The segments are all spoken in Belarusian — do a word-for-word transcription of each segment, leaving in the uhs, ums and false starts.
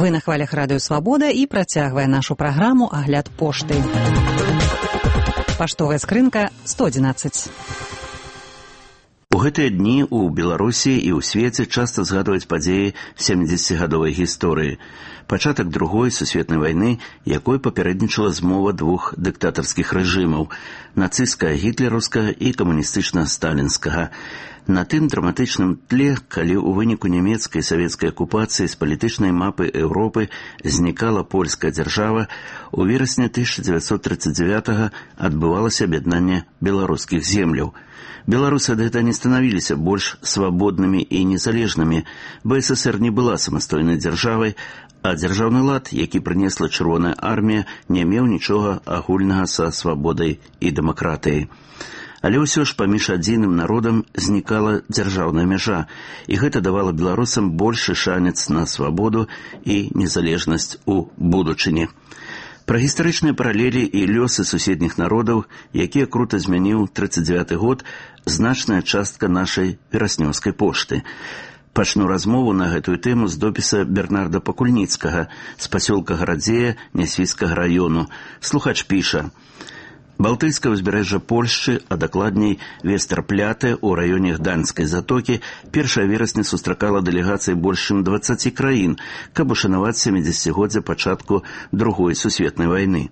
Вы на хвалях радыё «Свабода» і працягвае нашу праграму «Агляд пошты». Паштовая скрынка сто адзінаццаць. У гэтыя дні ў Беларусі і ў свеце часта згадваюць падзеі сямідзесяцігадовай гісторыі. Пачатак другой сусветнай вайны, якой папярэднічала змова двух дыктатарскіх рэжымаў – нацысцкага гітлераўскага і камуністычна-сталінскага. На тым драматычным тле, калі ў выніку нямецкай і савецкай акупацыі з палітычнай мапы Еўропы знікала польская дзяржава, у верасні тысяча дзевяцьсот трыццаць дзевятага адбывалася аб'яднанне беларускіх земляў. Беларусы ад гэтага не станавіліся больш свабоднымі і незалежнымі. БССР не была самастойнай дзяржавай, а дзяржаўны лад, які прынесла Чырвоная армія, не меў нічога агульнага са свабодай і дэмакратыяй. Але ўсё ж паміж адзіным народам знікала дзяржаўная мяжа, і гэта давала беларусам большы шанец на свабоду і незалежнасць у будучыні. Пра гістарычныя паралелі і лёсы суседніх народаў, якія крута змяніў трыццаць дзевяты год, значная частка нашай вераснёўскай пошты. Пачну размову на гэтую тэму з допіса Бернарда Пакульніцкага з пасёлка Гарадзея Нясвіцкага раёну. Слухач піша: Балтыйскае ўзбярэжжа Польшчы, а дакладней Вестэрпляте ў раёне Гданьскай затокі першага верасня сустракала дэлегацыі больш чым дваццаці краін, каб ушанаваць сямідзесяцігоддзе пачатку другой сусветнай вайны.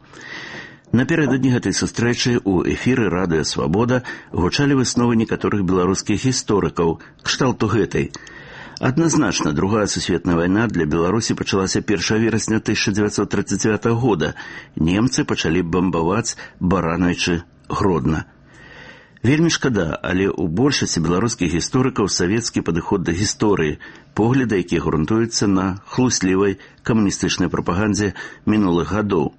Напярэдадні гэтай сустрэчы ў эфіры радыё «Свабода» гучалі высновы некаторых беларускіх гісторыкаў, кшталту гэтай. Адназначна, другая сусветная вайна для Беларусі пачалася першага верасня тысяча дзевяцьсот трыццаць дзевятага года. Немцы пачалі бамбаваць Барановічы Гродна. Вельмі шкада, але ў большасці беларускіх гісторыкаў савецкі падыход да гісторыі, погляды, якія грунтуюцца на хлуслівай камуністычнай прапагандзе мінулых гадоў.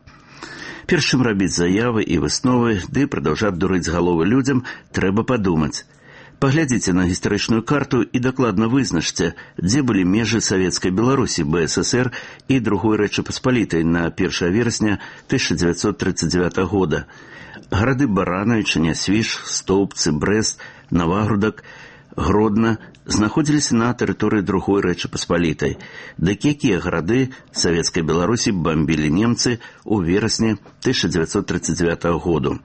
Перш чым рабіць заявы і высновы, ды прадаўжаць дурыць галовы людзям, трэба падумаць. Паглядзіце на гістарычную карту і дакладна вызначце, дзе былі межы савецкай Беларусі, БССР і другой Рэчы Паспалітай на першага верасня тысяча дзевяцьсот трыццаць дзевятага года. Гарады Барановіча, Нясвіж, Стоўбцы, Брэст, Навагрудак, Гродна знаходзіліся на тэрыторыі другой Рэчы Паспалітай. Дык якія гарады савецкай Беларусі бамбілі немцы ў верасні тысяча дзевяцьсот трыццаць дзевятага году.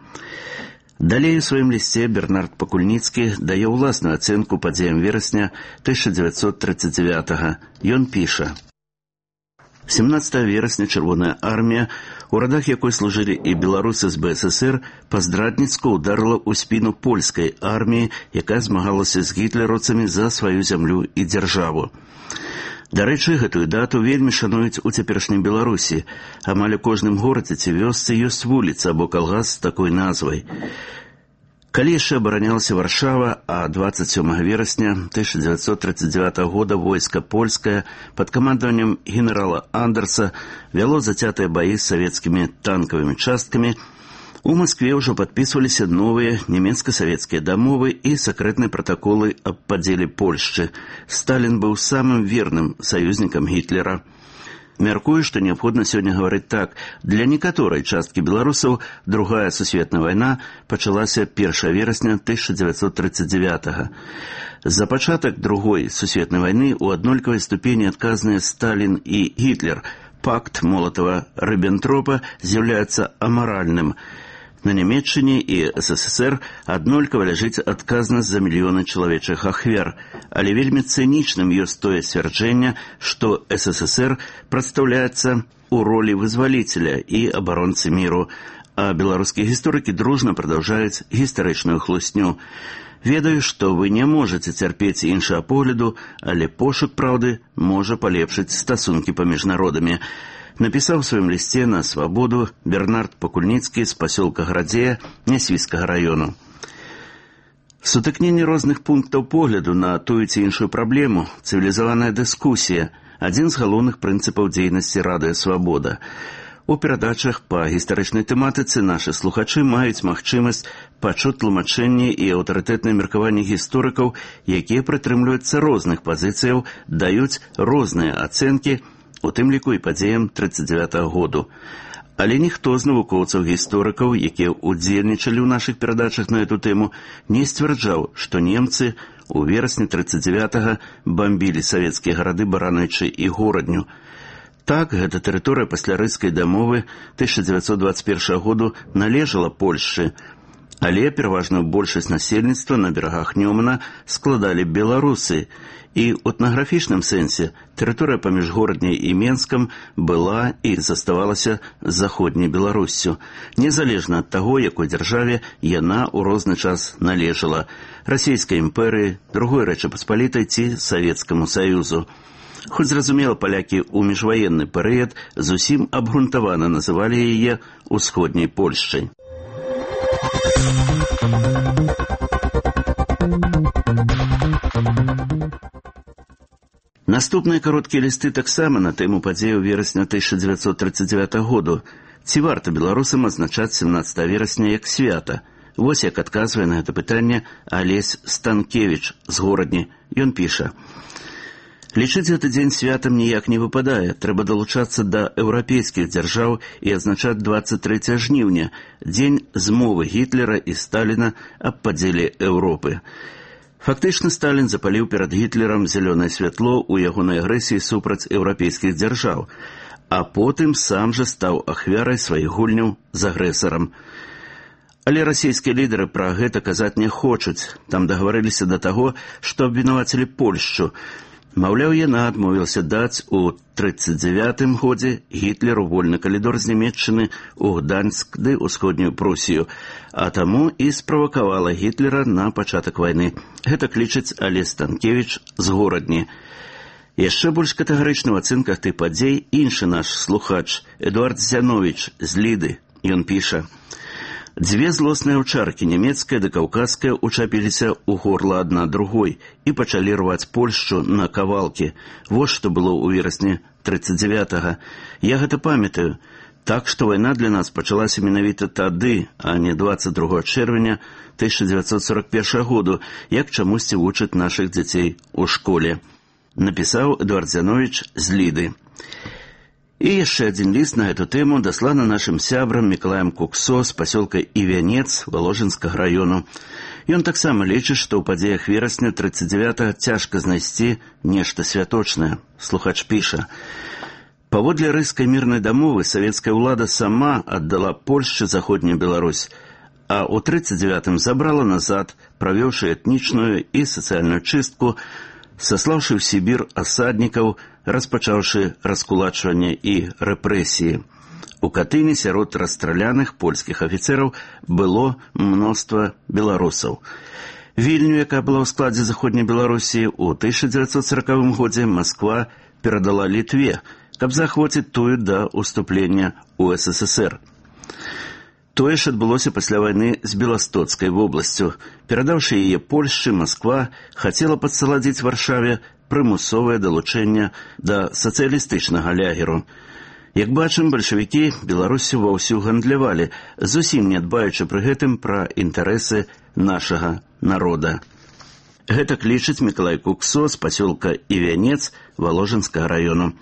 Далей у сваім лісце Бернард Пакульніцкі дае ўласную ацэнку падзеям верасня тысяча дзевяцьсот трыццаць дзевятага. Ён піша: семнадцатага верасня Чырвоная армія, у радах якой служылі і беларусы з БССР, паздрадніцку ударыла ў спіну польскай арміі, якая змагалася з гітлераўцамі за сваю зямлю і дзяржаву. Дарэчы, гэтую дату вельмі шануюць у цяперашняй Беларусі. Амаль у кожным горадзе ці вёсцы ёсць вуліца або калгас з такой назвай. Калі яшчэ абаранялася Варшава, а дваццаць сёмага верасня тысяча дзевяцьсот трыццаць дзевятага года войска польскае пад камандаваннем генерала Андерса вяло зацятыя баі з савецкімі танкавымі часткамі, у Маскве ўжо падпісваліся новыя нямецка-савецкія дамовы і сакрэтныя пратаколы аб падзеле Польшчы. Сталін быў самым верным саюзнікам Гітлера. Мяркую, што неабходна сёння гаварыць так. Для некаторай часткі беларусаў другая сусветная вайна пачалася першага верасня тысяча дзевяцьсот трыццаць дзевятага. За пачатак другой сусветнай вайны ў аднолькавай ступені адказныя Сталін і Гітлер. Пакт Молатава-Рыббентропа з'яўляецца амаральным. На Нямецчыне і СССР аднолькава ляжыць адказнасць за мільёны чалавечых ахвяр, але вельмі цынічным ёсць тое сцвярджэнне, што СССР прадстаўляецца ў ролі вызваліцеля і абаронцы міру, а беларускія гісторыкі дружна прадаўжаюць гістарычную хлусню. Ведаю, што вы не можаце цярпець іншага погляду, але пошук праўды можа палепшыць стасункі паміж народамі. Напісаў у сваім лісце на «Свабоду» Бернард Пакульніцкі з пасёлка Гарадзея Нясвіцкага раёну. Сутыкненне розных пунктаў погляду на тую ці іншую праблему, цывілізаваная дыскусія – адзін з галоўных прынцыпаў дзейнасці радыё «Свабода». У перадачах па гістарычнай тэматыцы нашы слухачы маюць магчымасць пачуць тлумачэнні і аўтарытэтныя меркаванні гісторыкаў, якія прытрымліваюцца розных пазіцыяў, даюць розныя ацэнкі, у тым ліку і падзеям трыццаць дзевятага году. Але ніхто з навукоўцаў-гісторыкаў, якія ўдзельнічалі ў нашых перадачах на эту тэму, не сцвярджаў, што немцы у верасні трыццаць дзевятага бамбілі савецкія гарады Барановічы і Горадню. Так, гэта тэрыторыя пасля рыцкай дамовы тысяча дзевяцьсот дваццаць першага году належала Польшчы, але пераважную большасць насельніцтва на берагах Нёмана складалі беларусы, і ў этнаграфічным сэнсе тэрыторыя паміж Горадняй і Менскам была і заставалася заходняй Беларуссю, незалежна ад таго, якой дзяржаве яна ў розны час належала – Расійскай імперыі, Другой Рэчы Паспалітай ці Савецкаму Саюзу. Хоць, зразумела, палякі ў міжваенны перыяд зусім абгрунтавана называлі яе ўсходняй Польшчай. Наступныя кароткія лісты таксама на тэму падзеяў верасня тысяча дзевяцьсот трыццаць дзевятага году. Ці варта беларусам адзначаць семнаццатага верасня як свята? Вось як адказвае на гэта пытанне Алесь Станкевіч з Горадні. Ён піша: «Лічыць гэты дзень святам ніяк не выпадае. Трэба далучацца да еўрапейскіх дзяржаў і адзначаць дваццаць трэцяга жніўня, дзень змовы Гітлера і Сталіна аб падзеле Еўропы. Фактычна Сталін запаліў перад Гітлерам зялёнае святло ў ягонай агрэсіі супраць еўрапейскіх дзяржаў, а потым сам жа стаў ахвярай сваіх гульняў з агрэсарам. Але расійскія лідары пра гэта казаць не хочуць. Там дагаварыліся да таго, што абвінавацілі Польшчу. Маўляў, яна адмовілася даць у трыццаць дзявятым годзе Гітлеру вольны калідор з Нямецчыны ў Гданьск ды ўсходнюю Прусію, а таму і справакавала Гітлера на пачатак вайны. Гэта лічыць Алесь Станкевіч з Горадні. Яшчэ больш катэгарычны ў ацэнках тых падзей іншы наш слухач Эдуард Зяновіч з Ліды. Ён піша: «Дзве злосныя ўчаркі, нямецкая ды каўказская, учапіліся ў горла адна другой і пачалі рваць Польшчу на кавалкі. Вось што было ў верасні трыццаць дзявятага. Я гэта памятаю. Так што вайна для нас пачалася менавіта тады, а не дваццаць другога чэрвеня тысяча дзевяцьсот сорок першага году, як чамусьці вучаць нашых дзяцей у школе», напісаў Эдуард Зяновіч з Ліды. І яшчэ адзін ліст на гэту тэму дасланы нашым сябрам Мікалаем Куксо з пасёлка Івянец Валожынскага раёну. Ён таксама лічыць, што ў падзеях верасня трыццаць дзявятага цяжка знайсці нешта святочнае. Слухач піша: «Паводле рыйскай мірнай дамовы савецкая ўлада сама аддала Польшчы заходнюю Беларусь, а ў трыццаць дзявятым забрала назад, правёўшы этнічную і сацыяльную чыстку, саслаўшы ў Сібір асаднікаў, распачаўшы раскулачванне і рэпрэсіі. У Катыні сярод расстраляных польскіх афіцэраў было мноства беларусаў. Вільню, якая была ў складзе заходняй Беларусі, у тысяча дзевяцьсот сорокавым годзе Масква перадала Літве, каб захвоціць тую да ўступлення ў эс эс эс эр. Тое ж адбылося пасля вайны з Беластоцкай вобласцю. Перадаўшы яе Польшчы, Масква хацела падсаладзіць Варшаве прымусовае далучэнне да сацыялістычнага лягеру. Як бачым, бальшавікі Беларусю ваўсю гандлявалі, зусім не дбаючы пры гэтым пра інтарэсы нашага народа. Гэтак лічыць Мікалай Куксо з пасёлка Івянец Валожынскага раёну.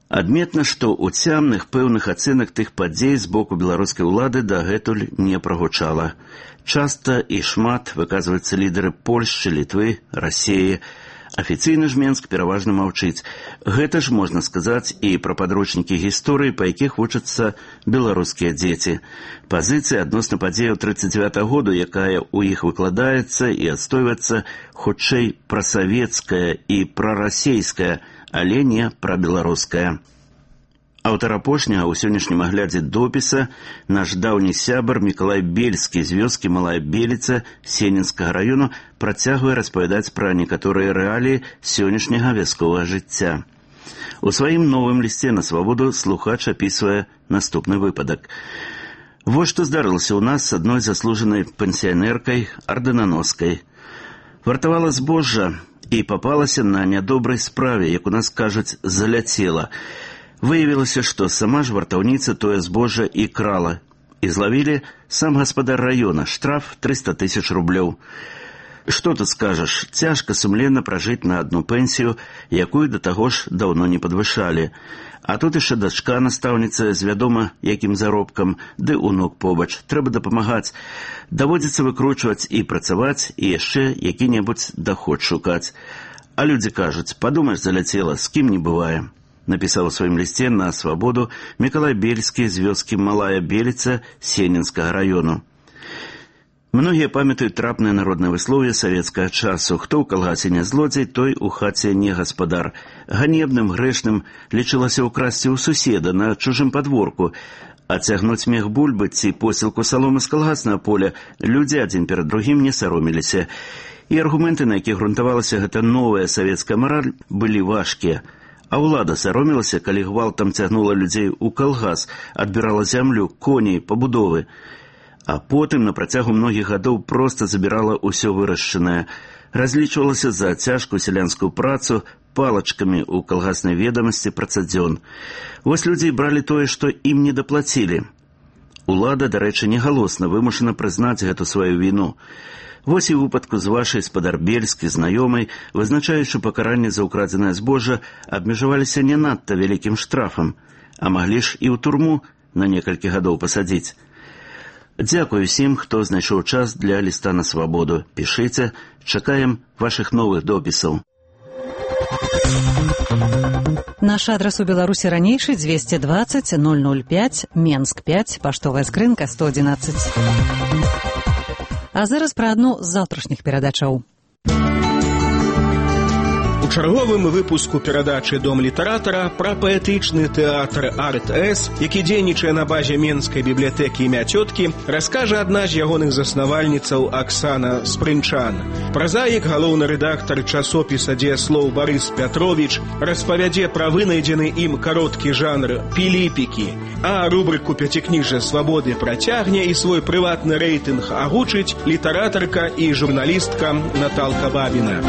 Адметна, што ў цямных пэўных ацэнак тых падзей з боку беларускай улады дагэтуль не прагучала. Часта і шмат выказваюцца лідары Польшчы, Літвы, Расіі. Афіцыйна ж Менск пераважна маўчыць. Гэта ж можна сказаць і пра падручнікі гісторыі, па якіх вучацца беларускія дзеці. Пазіцыя адносна падзеяў трыццаць дзявятага году, якая ў іх выкладаецца і адстойваецца, хутчэй прасавецкая і прарасейская, але не прабеларуская. Аўтар апошняга ў сённяшнім аглядзе допіса наш даўні сябар Мікалай Бельскі з вёскі Малая Беліца Сенінскага раёну працягвае распавядаць пра некаторыя рэаліі сённяшняга вясковага жыцця. У сваім новым лісце на свабоду слухач апісвае наступны выпадак. Вось што здарылася ў нас з адной заслужанай пенсіянеркай, ардынаноскай. Вартавала збожжа і папалася на нядобрай справе, як у нас кажуць, заляцела. Выявілася, што сама ж вартаўніца тое збожжа і крала. І злавілі сам гаспадар раёна, штраф трыста тысяч рублёў. Што тут скажаш, цяжка сумленна пражыць на адну пенсію, якую да таго ж даўно не падвышалі. А тут яшчэ дачка настаўніца з вядома якім заробкам, ды унук побач. Трэба дапамагаць. Даводзіцца выкручваць і працаваць, і яшчэ які-небудзь даход шукаць. А людзі кажуць, падумаеш, заляцела, з кім не бывае. напісаў у сваім лісце на свабоду Мікалай Бельскі з вёскі Малая Беліца Сенінскага раёну. Многія памятаюць трапнае народнае выслоўе савецкага часу. Хто ў калгасе не злодзей, той у хаце не гаспадар. Ганебным, грэшным лічылася ўкрасці ў суседа на чужым падворку, а цягнуць мех бульбы ці посілку саломы з калгаснага поля людзі адзін перад другім не сароміліся. І аргументы, на якіх грунтавалася гэта новая савецкая мараль, былі важкія. А ўлада саромілася, калі гвалтам цягнула людзей у калгас, адбірала зямлю, коней, пабудовы. А потым на працягу многіх гадоў проста забірала ўсё вырашчанае. Разлічвалася за цяжкую сялянскую працу палачкамі ў калгаснай ведамасці працадзён. Вось людзі бралі тое, што ім не даплацілі. Улада, дарэчы, негалосна вымушана прызнаць гэту сваю віну. Вось і ў выпадку з вашай спадар Бельскі знаёмай, вызначаючы пакаранне за ўкрадзенае збожжа, абмежаваліся не надта вялікім штрафам, а маглі ж і ў турму на некалькі гадоў пасадзіць. Дзякую всім, хто знайшоў час для ліста на свабоду. Пішыце, чакаем вашых новых допісаў. Наш адрас у Беларусі ранейшы двести двадцать ноль ноль пять, Менск пять, паштовая скрынка сто одиннадцать. А зараз пра адну з заўтрашніх перадачаў. У чарговым выпуску перадачы «Дом літаратара» пра паэтычны тэатр «Арт-С», які дзейнічае на базе Менскай бібліятэкі імя цёткі, раскажа адна з ягоных заснавальніцаў Аксана Спрынчан. Празаік, галоўны рэдактар часопіса «Дзеяслоў» Барыс Пятровіч распавядзе пра вынайдзены ім кароткі жанр «Піліпікі», а рубрыку «Пяцікніжжа свабоды» працягне і свой прыватны рэйтынг агучыць літаратарка і журналістка Наталка Бабіна.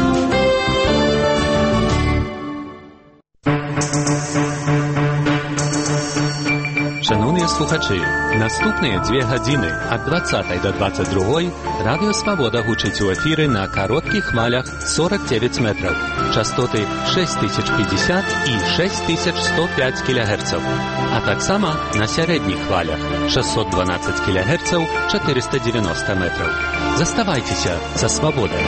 Шановні слухачі, наступні дві години ад двадцятай до двадцять другої Радіо Свобода гучить у ефірі на коротких хвалях сорок дев'ять метрів, частоти шість тисяч п'ятдесят і шість тисяч сто п'ять кілогерців, а так само на середніх хвалях шістсот дванадцять кілогерців, чотириста дев'яносто метрів. Заставайтеся за Свободою.